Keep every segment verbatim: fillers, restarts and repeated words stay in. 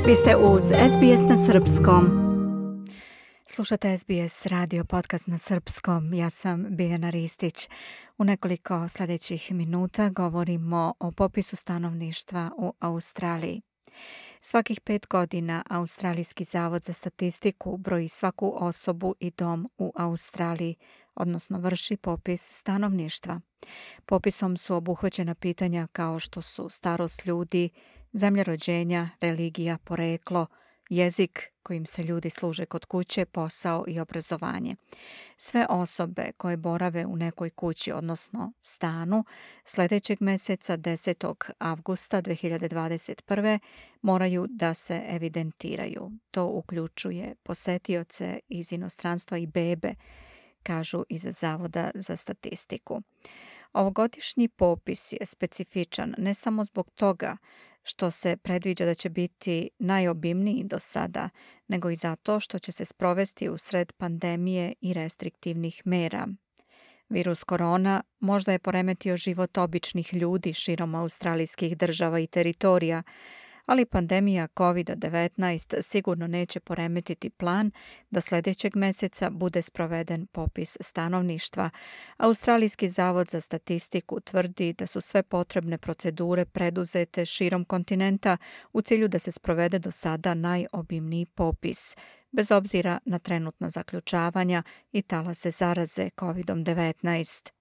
Vi ste uz S B S na srpskom. Slušate S B S radio podcast na srpskom. Ja sam Biljana Ristić. U nekoliko sljedećih minuta govorimo o popisu stanovništva u Australiji. Svakih pet godina Australijski zavod za statistiku broji svaku osobu i dom u Australiji, odnosno vrši popis stanovništva. Popisom su obuhvaćena pitanja kao što su starost ljudi, zemlja rođenja, religija, poreklo, jezik kojim se ljudi služe kod kuće, posao i obrazovanje. Sve osobe koje borave u nekoj kući, odnosno stanu, sljedećeg mjeseca desetog avgusta dve hiljade dvadeset prve moraju da se evidentiraju. To uključuje posetioce iz inostranstva i bebe, kažu iz Zavoda za statistiku. Ovogodišnji popis je specifičan ne samo zbog toga što se predviđa da će biti najobimniji do sada, nego i zato što će se sprovesti u sred pandemije i restriktivnih mera. Virus korona možda je poremetio život običnih ljudi širom australijskih država i teritorija, ali pandemija kovid devetnaest sigurno neće poremetiti plan da sljedećeg mjeseca bude sproveden popis stanovništva. Australijski zavod za statistiku tvrdi da su sve potrebne procedure preduzete širom kontinenta u cilju da se sprovede do sada najobimniji popis, bez obzira na trenutna zaključavanja i talase zaraze kovid devetnaest.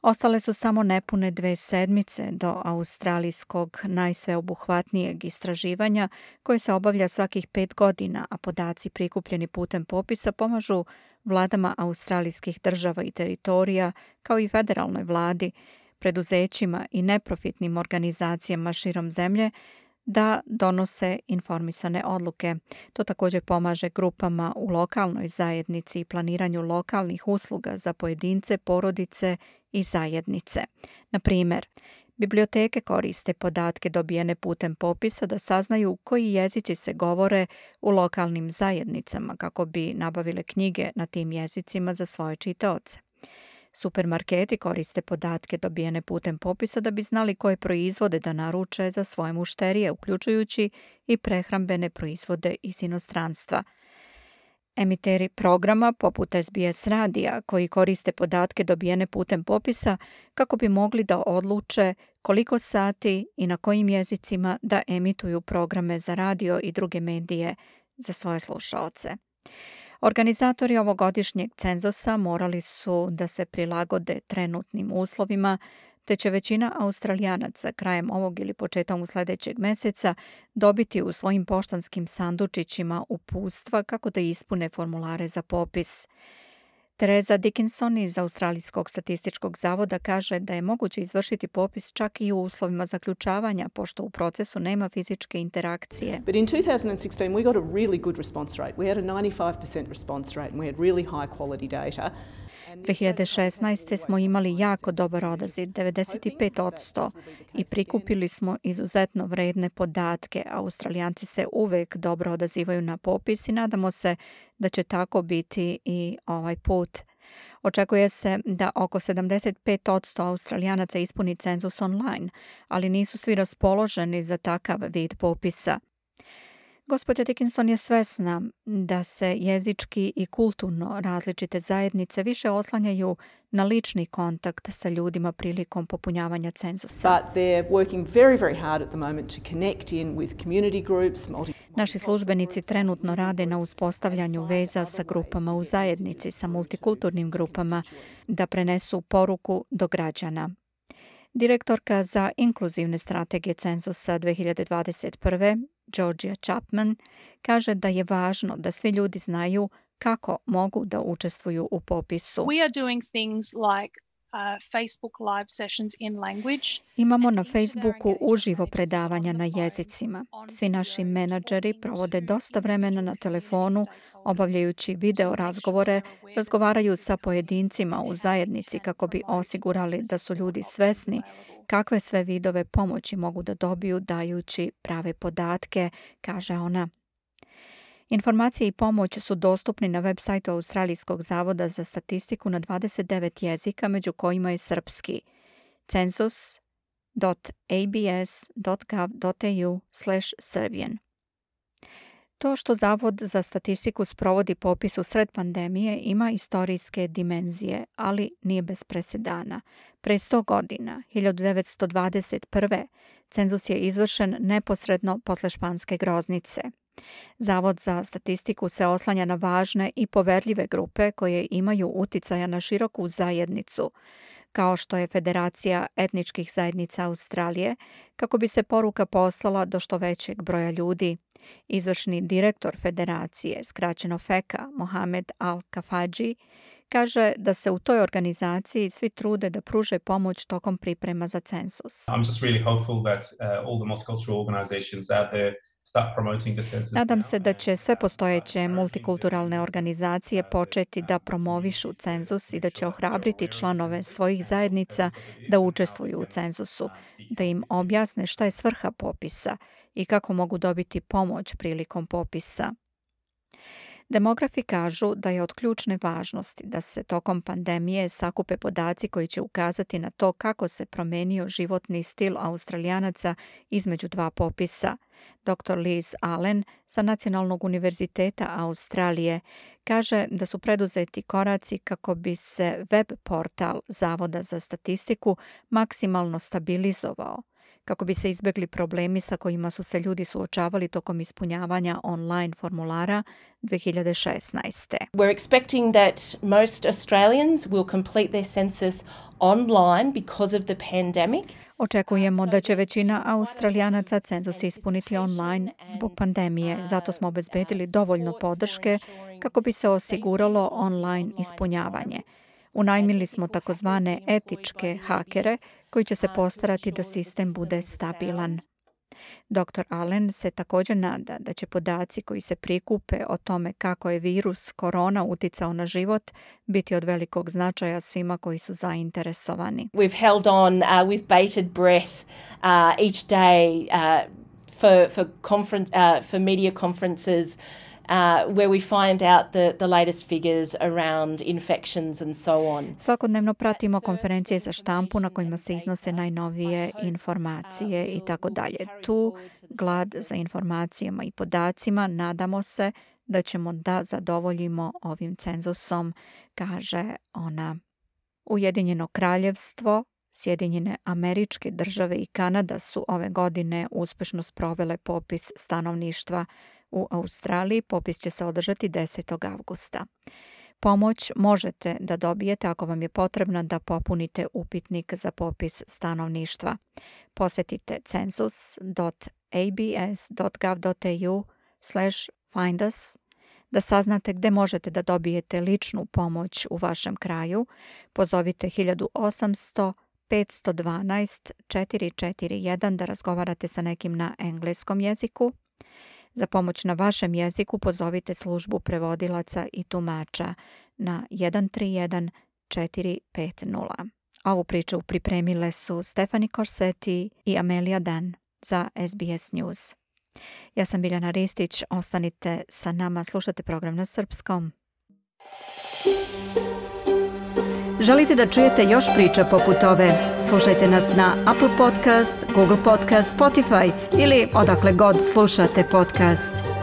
Ostale su samo nepune dve sedmice do australijskog najsveobuhvatnijeg istraživanja koje se obavlja svakih pet godina, a podaci prikupljeni putem popisa pomažu vladama australijskih država i teritorija, kao i federalnoj vladi, preduzećima i neprofitnim organizacijama širom zemlje da donose informisane odluke. To također pomaže grupama u lokalnoj zajednici i planiranju lokalnih usluga za pojedince, porodice i zajednice. Na primjer, biblioteke koriste podatke dobijene putem popisa da saznaju koji jezici se govore u lokalnim zajednicama kako bi nabavile knjige na tim jezicima za svoje čitaoce. Supermarketi koriste podatke dobijene putem popisa da bi znali koje proizvode da naruče za svoje mušterije, uključujući i prehrambene proizvode iz inostranstva. Emiteri programa poput S B S radija koji koriste podatke dobijene putem popisa kako bi mogli da odluče koliko sati i na kojim jezicima da emituju programe za radio i druge medije za svoje slušaoce. Organizatori ovogodišnjeg cenzusa morali su da se prilagode trenutnim uslovima, te će većina Australijanaca krajem ovog ili početkom sljedećeg mjeseca dobiti u svojim poštanskim sandučićima uputstva kako da ispune formulare za popis. Teresa Dickinson iz Australijskog statističkog zavoda kaže da je moguće izvršiti popis čak i u uslovima zaključavanja, pošto u procesu nema fizičke interakcije. But in two thousand sixteen we got a really good response rate. We had a ninety-five percent response rate and we had really high quality data. dve hiljade šesnaeste. smo imali jako dobar odaziv, devedeset pet posto, i prikupili smo izuzetno vredne podatke. Australijanci se uvek dobro odazivaju na popis i nadamo se da će tako biti i ovaj put. Očekuje se da oko sedamdeset pet posto Australijanaca ispuni cenzus online, ali nisu svi raspoloženi za takav vid popisa. Gospođa Dickinson je svesna da se jezički i kulturno različite zajednice više oslanjaju na lični kontakt sa ljudima prilikom popunjavanja cenzusa. But they're working very, very hard at the moment to connect in with community groups, multi- Naši službenici trenutno rade na uspostavljanju veza sa grupama u zajednici, sa multikulturnim grupama, da prenesu poruku do građana. Direktorka za inkluzivne strategije cenzusa dve hiljade dvadeset prve. Georgia Chapman kaže da je važno da svi ljudi znaju kako mogu da učestvuju u popisu. We are doing things like uh, Facebook live sessions in language. Imamo na Facebooku uživo predavanja na jezicima. Svi naši menadžeri provode dosta vremena na telefonu, obavljajući video razgovore, razgovaraju sa pojedincima u zajednici kako bi osigurali da su ljudi svesni kakve sve vidove pomoći mogu da dobiju dajući prave podatke, kaže ona. Informacije i pomoć su dostupni na web sajtu Australijskog zavoda za statistiku na dvadeset devet jezika, među kojima je srpski. census dot a b s dot gov dot a u slash serbian. To što Zavod za statistiku sprovodi popis u sred pandemije ima istorijske dimenzije, ali nije bez presedana. Pre sto godina, hiljadu devetsto dvadeset prve. cenzus je izvršen neposredno posle španske groznice. Zavod za statistiku se oslanja na važne i poverljive grupe koje imaju uticaja na široku zajednicu, kao što je Federacija etničkih zajednica Australije, kako bi se poruka poslala do što većeg broja ljudi. Izvršni direktor Federacije, skraćeno feka, Mohamed Al-Kafaji, kaže da se u toj organizaciji svi trude da pruže pomoć tokom priprema za cenzus. I'm just really hopeful that uh, all the multicultural organizations out there start promoting the census. Nadam se da će sve postojeće multikulturalne organizacije početi da promovišu cenzus i da će ohrabriti članove svojih zajednica da učestvuju u cenzusu, da im objasne šta je svrha popisa i kako mogu dobiti pomoć prilikom popisa. Demografi kažu da je od ključne važnosti da se tokom pandemije sakupe podaci koji će ukazati na to kako se promenio životni stil Australijanaca između dva popisa. doktor Liz Allen sa Nacionalnog univerziteta Australije kaže da su preduzeti koraci kako bi se web portal Zavoda za statistiku maksimalno stabilizovao, kako bi se izbjegli problemi sa kojima su se ljudi suočavali tokom ispunjavanja online formulara dve hiljade šesnaeste. We're expecting that most Australians will complete their census online because of the pandemic. Očekujemo da će većina Australijanaca cenzus ispuniti online zbog pandemije, zato smo obezbedili dovoljno podrške kako bi se osiguralo online ispunjavanje. Unajmili smo takozvane etičke hakere koji će se postarati da sistem bude stabilan. doktor Allen se također nada da će podaci koji se prikupe o tome kako je virus korona uticao na život biti od velikog značaja svima koji su zainteresovani. We've held on uh, with bated breath uh, each day uh, for for conference uh, for media conferences Uh, where we find out the, the latest figures around infections and so on. Svakodnevno pratimo konferencije za štampu na kojima se iznose najnovije informacije i tako dalje. Tu glad za informacijama i podacima, nadamo se da ćemo da zadovoljimo ovim cenzusom, kaže ona. Ujedinjeno kraljevstvo, Sjedinjene Američke Države i Kanada su ove godine uspešno sprovele popis stanovništva. U Australiji popis će se održati desetog avgusta. Pomoć možete da dobijete ako vam je potrebna da popunite upitnik za popis stanovništva. Posetite census dot a b s dot gov dot a u slash find us da saznate gde možete da dobijete ličnu pomoć u vašem kraju. Pozovite hiljadu osamsto petsto dvanaest četiri četiri jedan da razgovarate sa nekim na engleskom jeziku. Za pomoć na vašem jeziku pozovite službu prevodilaca i tumača na jedan tri jedan četiri pet nula. Ovu priču pripremile su Stefani Corsetti i Amelia Dan za S B S News. Ja sam Biljana Ristić, ostanite sa nama, slušate program na srpskom. Želite da čujete još priča poput ove? Slušajte nas na Apple Podcast, Google Podcast, Spotify ili odakle god slušate podcast.